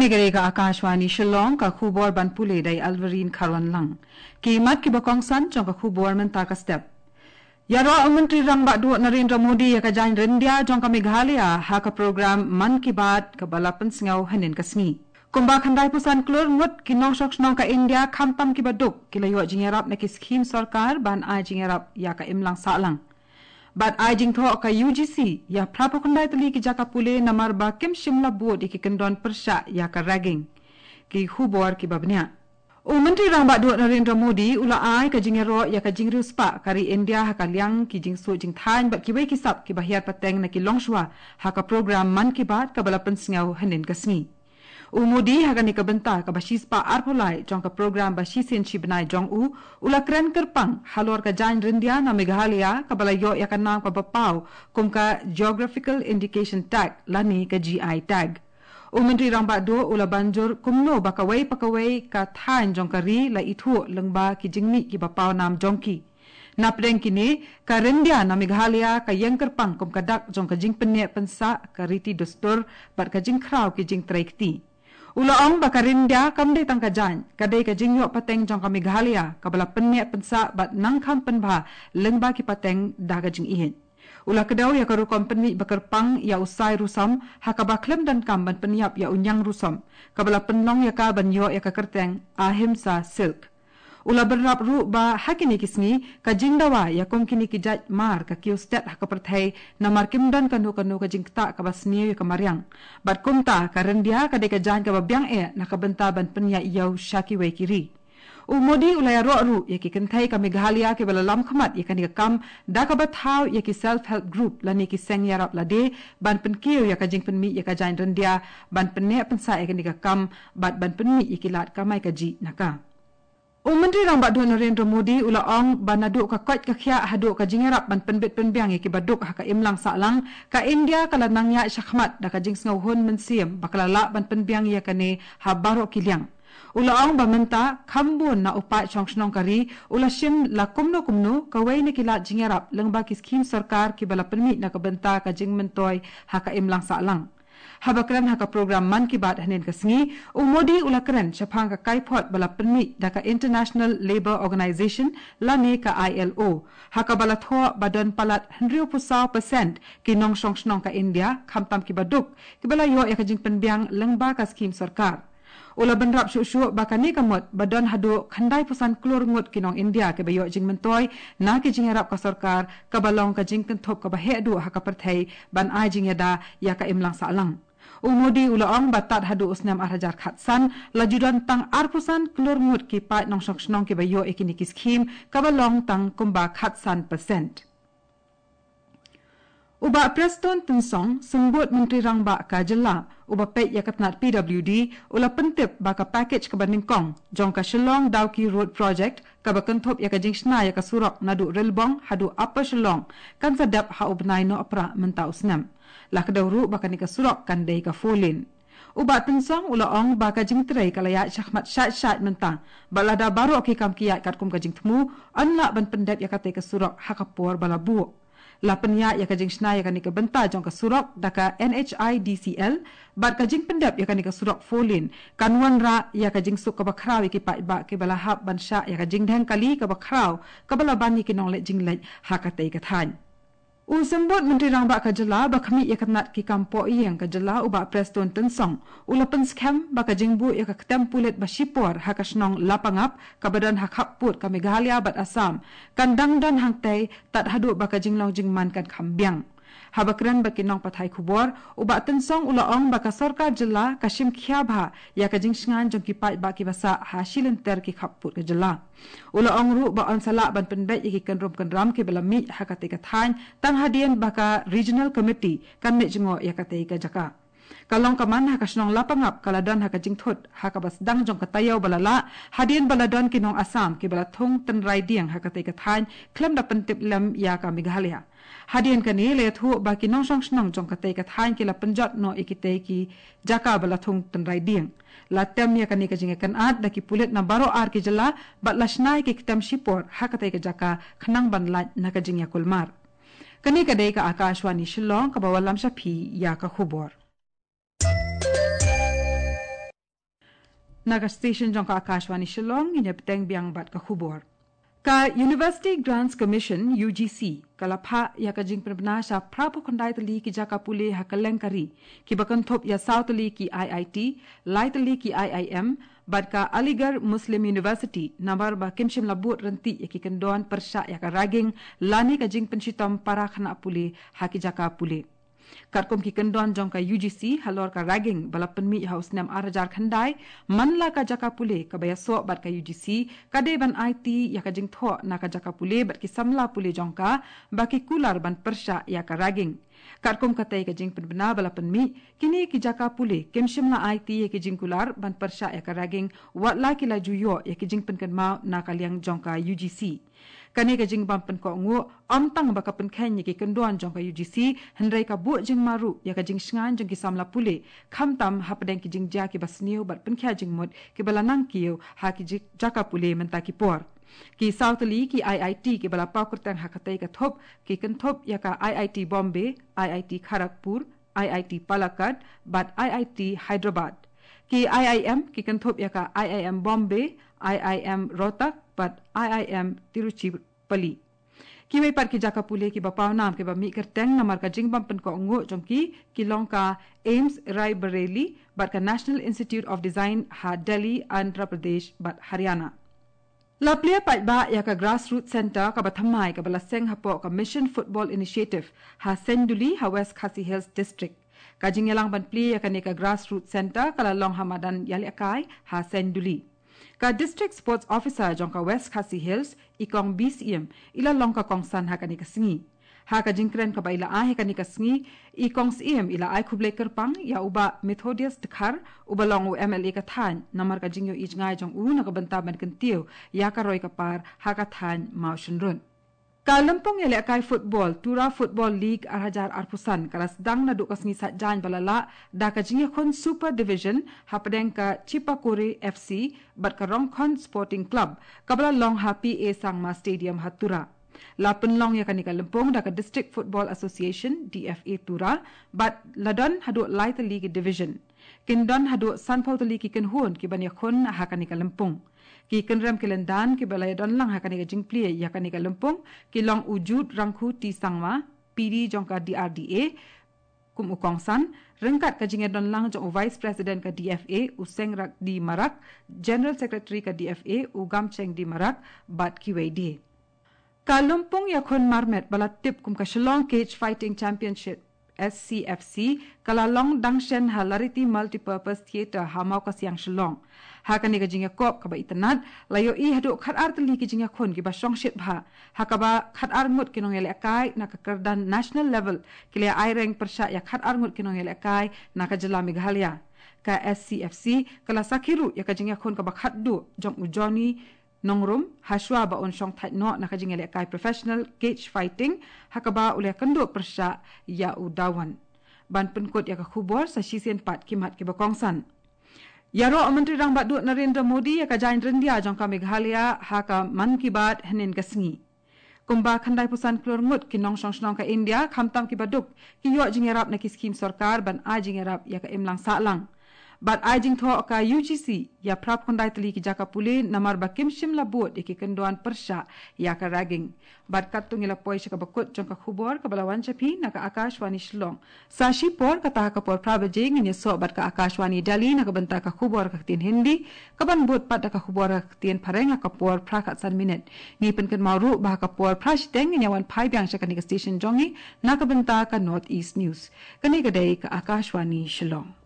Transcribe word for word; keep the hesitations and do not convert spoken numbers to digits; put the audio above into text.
Kane ka Akashvani Shillong, ka khubor ban pule da i Alverine Kharwanlang. Ki mat kiba kongsan jong ka khubor mynta ka step. Ïaroh u Myntri Rangbah Duh Narendra Modi ïa ka jaiñ ryndia jong ka Meghalaya ha ka program Mann Ki Baat kaba la pynsngew hynnin ka sngi. Kumba khyndai phew san klur ngut ki nongshong shnong ka India khamtam kiba duk ki la ïoh jingïarap na ki skhim sorkar ban ai jingïarap ïa ka imlang sahlang. Bad ai jingthoh ka U G C ïa phra phew khyndai tylli ki jaka pule namar ba kim shym la bud ïa ki kyndon pyrshah ïa ka ragging. Ki khubor kiba bniah. U Myntri Rangbah Duh Narendra Modi u la ai ka jingïaroh ïa ka jingriewspah ka ri India ha ka liang ki jingsuh jingthaiñ bad kiwei ki sap kiba hiar pateng na ki longshuwa ha ka program Mann Ki Baat kaba la pynsngew hynnin ka sngi. U Modi ha kane ka bynta kaba shispah arphew lai jong ka program ba shisien shibnai jong u, u la kren kyrpang halor ka jaiñ ryndia na Meghalaya kaba la ïoh ïa ka nam kaba paw kum ka Geographical Indication Tag lane ka G I tag. U Myntri Rangbah Duh u la ban jur kumno ba kawei pa kawei ka thaiñ jong ka ri la ithuh lyngba ki jingmih kiba paw nam jong ki. Napdeng kine, ka ryndia na Meghalaya ka ïeng kyrpang kum ka dak jong ka jingpynneh pynsah, ka riti dustur bad ka jingkhraw ki jingtrei kti. U la ong ba ka ryndia kam dei tang ka jaiñ, ka dei ka jingïoh pateng jong ka Meghalaya kaba la pynneh pynsah bad nang kham pynbha lyngba ki pateng da ka jingïeit. U la kdew ïa ka rukom pynmih ba kyrpang ïa u Sai Rusom ha kaba khlem donkam ban pynïap ïa u Ñiang Rusom, kaba la pynlong ïa ka ban ïoh ïa ka kyrteng Ahimsa Silk. U la bynrap ruh ba ha kine ki sngi ka jingdawa ïa kum kine ki jait mar ka kiew stet ha ka pyrthei namar kim don kano kano ka jingktah kaba sniew ïa ka mariang. Bad kumta ka ryndia ka dei ka jaiñ kaba biang eh na ka bynta ban pynïaid ïew sha kiwei ki ri. U Modi u la ïaroh ruh ïa ki kynthei ka Meghalaya kiba la lam khmat ïa kane ka kam da kaba thaw ïa ki self help group lane ki seng ïarap lade ban pynkiew ïa ka jingpynmih ïa ka jaiñ ryndia, ban pynneh pynsah ïa kane ka kam bad ban pynmih ïa ki lad kamai kajih na ka. U Myntri Rangbah Duh Narendra Modi u la ong ba naduh ka koit ka khiah haduh ka jingïarap ban pynbit pynbiang ïa kiba duk ha ka imlang sahlang, ka India ka la nang ïaid shakhmat da ka jingsngewhun mynsiem ba ka la lah ban pynbiang ïa kane ha baroh ki liang. U la ong ba mynta kham bun na u paid shong shnong ka ri u la shim la kumno kumno kawei na ki lad jingïarap lyngba ki skhim sorkar kiba la pynmih na ka bynta ka jingmyntoi ha ka imlang sahlang. Haba kren ha ka program Mann Ki Baat hynnin ka sngi, u Modi u la kren shaphang ka kaiphod ba la pynmih da ka International Labour Organization lane ka I L O, ha kaba la thoh ba don palat hynriew phew saw percent ki nongshong shnong ka India, khamtam kiba duk, kiba la ïoh ïa ka jingpynbiang lyngba ka skhim sorkar. U la bynrap shuh shuh ba kane ka mut ba don haduh khyndai phew san klur ngut ki nong India kiba ïoh jingmyntoi na ki jingïarap ka sorkar, kaba long ka jingkynthup kaba heh duh ha ka pyrthei ban ai jingïada ïa ka imlang sahlang. U Modi u la ong ba tad haduh u snem ar hajar khatsan la ju don tang ar phew san klur ngut ki paid nongshong shnong kiba ïoh ïa kine ki skhim, kaba long tang kumba khatsan percent. U Bah Prestone Tynsong, Symbud Myntri Rangbah ka Jylla, uba peit ïa ka tnat P W D, u la pyntip ba ka package kaba nyngkong jong ka Shillong Dawki Road Project, kaba kynthup ïa ka jingshna ïa ka surok naduh Rilbong haduh Upper Shillong, kan sa dep ha u bnai Nohprah mynta u snem. La kdew ruh ba kane ka surok kan dei ka four lane. U Bah Tynsong u la ong ba ka jingtrei ka la ïaid shakhmat shait shait mynta, bad lada baroh ki kam ki ïaid katkum ka jingthmu, yn lah ban pyndep ïa katei ka surok ha ka por ba la buh. La pynïaid ïa ka jingshna ïa kane ka bynta jong ka surok da ka N H I D C L, bad ka jingpyndep ïa kane ka surok four lane kan wanrah ïa ka jingsuk kaba khraw ïa ki paidbah kiba la hap ban shah ïa ka jingdheng kali kaba khraw kaba la ban ïa ki nongleit jingleit ha katei ka thaiñ. U Symbud Myntri Rangbah ka Jylla ba khmih ïa ka tnat ki kam pohïing ka Jylla, u Bah Prestone Tynsong, u la pynskhem ba ka jingbuh ïa ka ktem pulit ba shipor ha ka shnong Lapangap, kaba don ha khappud ka Meghalaya bad Assam, kan dang don hangtei tad haduh ba ka jinglong jingman kan kham biang. Haba kren bad ki nongpathai khubor, u Bah Tynsong u la ong ba ka sorkar Jylla ka shim khia bha ïa ka jingshngaiñ jong ki paidbah kiba sah ha shilynter ki khappud ka Jylla. U la ong ruh ba yn sa lah ban pynbeit ïa ki kynrum kynram kiba la mih ha katei ka thaiñ, tang hadien ba ka Regional Committee kan leit jngoh ïa katei ka jaka. Ka long ka man ha ka shnong Lapangap ka la don ha ka jingthut ha kaba sdang jong ka taïew ba la lah, hadien ba la don ki nong Assam kiba la thung tynrai dieng ha katei ka thaiñ, khlem da pyntip lem ïa ka Meghalaya. Hadien kane la ïathuh ba ki nongshong shnong jong katei ka thaiñ ki la pynjot noh ïa kitei ki jaka ba la thung tynrai dieng. La tem ïa kane ka jingïakynad da ki pulit na baroh ar ki jylla, bad la shna ïa ki ktem shipor ha katei ka jaka khnang ban lait na ka jingïakulmar. Kane ka dei ka Akashvani Shillong kaba wallam sha phi ïa ka khubor. Na ka station jong ka Akashvani Shillong, ngin ïa bteng biang bad ka khubor. Ka University Grants Commission, U G C, ka la phah ïa ka jingpynbna sha phra phew khyndai tylli ki jaka pule ha kylleng ka ri, kiba kynthup ïa saw tylli ki I I T, lai tylli ki I I M, bad ka Aligarh Muslim University, namar ba kim shym la bud ryntih ïa ki kyndon pyrshah ïa ka ragging lane ka jingpynshitom para khynnah pule ha ki jaka pule. Katkum ki kyndon jong ka U G C halor ka ragging ba la pynmih ha u snem ar hajar khyndai, man la ka jaka pule kaba ïasoh bad ka U G C ka dei ban aiti ïa ka jingthoh na ka jaka pule bad ki samla pule jong ka ba ki kular ban pyrshah ïa ka ragging. Katkum katei ka jingpynbna ba la pynmih, kine ki jaka pule kim shym la aiti ïa ki jingkular ban pyrshah ïa ka ragging, wat la ki la ju ïoh ïa ki jingpynkynmaw na ka liang jong ka U G C. Kane ka jingbam pynkohnguh ym tang ba ka pynkheiñ ïa ki kyndon jong ka U G C, hynrei ka buh jingma ruh ïa ka jingshngaiñ jong ki samla pule, khamtam hapdeng ki jingjia kiba sniew bad pynkhia jingmut kiba la nang kiew ha ki ji-, jaka pule mynta ki por. Ki saw tylli ki I I T kiba la paw kyrteng ha katei ka thup ki kynthup ïa ka I I T Bombay, I I T Kharagpur, I I T Palakkad bad I I T Hyderabad. Ki I I M ki kynthup ïa ka I I M Bombay, I I M Rohtak bad I I M Tiruchirappalli. Kiwei pat ki jaka pule kiba paw nam kiba mih kyrteng namar ka jingbam pynkohnguh jong ki, ki long ka AIIMS Raebareli bad ka National Institute of Design ha Delhi, Andhra Pradesh bad Haryana. La plie paidbah ïa ka Grassroots Centre kaba thymmai kaba la seng hapoh ka Mission Football Initiative ha Saiñduli ha West Khasi Hills District. Ka jingïalang ban plie ïa kane ka Grassroots Centre ka la long ha madan ïalehkai ha Saiñduli. Ka District Sports Officer jong ka West Khasi Hills, i Kong B C M, i la long ka kongsan ha kane ka sngi. Ha ka jingkren kaba i la ai ha kane ka sngi, i Kong Syiem i la ai khublei kyrpang ïa u Bah Methodius Dkhar, uba long u M L A ka thaiñ, namar ka jingïohi jngai jong u na ka bynta ban kyntiew ïa ka roi ka par ha ka thaiñ Mawshynrut. Ka lympung ïalehkai football, Tura Football League ar hajar arphew san, ka la sdang naduh ka sngi Saitjaiñ ba la lah da ka jingïakhun Super Division hapdeng ka Chipakore F C bad ka Rongkhon Sporting Club, kaba la long ha P A Sangma Stadium ha Tura. La pynlong ïa kane ka lympung da ka District Football Association, D F A Tura, bad la don haduh lai tylli ki division. Kin don haduh sanphew tylli ki kynhun kiban ïakhun ha kane ka lympung. Ki kynrem ki lyndan kiba la ïadon lang ha kane ka jingplie ïa kane ka lympung ki long u Jude Rangkhu T Sangma, P D jong ka D R D A, kum u kongsan, ryngkat ka jingïadon lang jong u Vice President ka D F A, u Sengrak D Marak, General Secretary ka D F A, u Gamcheng D Marak, bad kiwei de. Ka lympung ïakhun marmet ba la tip kum ka Shillong Cage Fighting Championship, S C F C, ka la long dang shen ha Lariti Multipurpose Theatre ha Mawkasiang, Shillong. Ha kane ka jingïakop kaba itynnad, la ïohi haduh khatar tylli ki jingïakhun kiba shongshit bha, ha kaba khatar ngut ki nongïalehkai na ka kyrdan national level ki la ïa aireng pyrshah ïa khatar ngut ki nongïalehkai na ka jylla Meghalaya. Ka S C F C ka la sakhi ruh ïa ka jingïakhun kaba khatduh jong u Johnny Nongrum, ha shuwa ba un shong thait noh na ka jingïalehkai professional cage fighting, ha kaba u la ïakynduh pyrshah ïa u Dawan. Ban pynkut ïa ka khubor sa shisien pat ki mat kiba kongsan. Ïaroh u Myntri Rangbah Duh Narendra Modi ïa ka jaiñ ryndia jong ka Meghalaya ha ka Mann Ki Baat hynnin ka sngi. Kumba khyndai phew san klur ngut ki nongshong shnong ka India, khamtam kiba duk, ki ïoh jingïarap na ki skhim sorkar ban ai jingïarap ïa ka imlang sahlang. Bad ai jingthoh ka U G C ïa phra phew khyndai tylli ki jaka pule namar ba kim shym la bud ïa ki kyndon pyrshah ïa ka ragging. Bad katto ngi la poi sha kaba kut jong ka khubor kaba la wan sha phi na ka Akashvani Shillong. Sa shipor, kata ha ka por phra baje, ngin ïasoh bad ka Akashvani Delhi na ka bynta ka khubor ka ktien Hindi, kaban bud pat da ka khubor ka ktien Phareng ha ka por phra khatsan minit. Ngi pynkynmaw ruh ba ha ka por phra shiteng ngin ïa wan phai biang sha kane ka station jong ngi na ka bynta ka North East News. Kane ka dei ka Akashvani Shillong.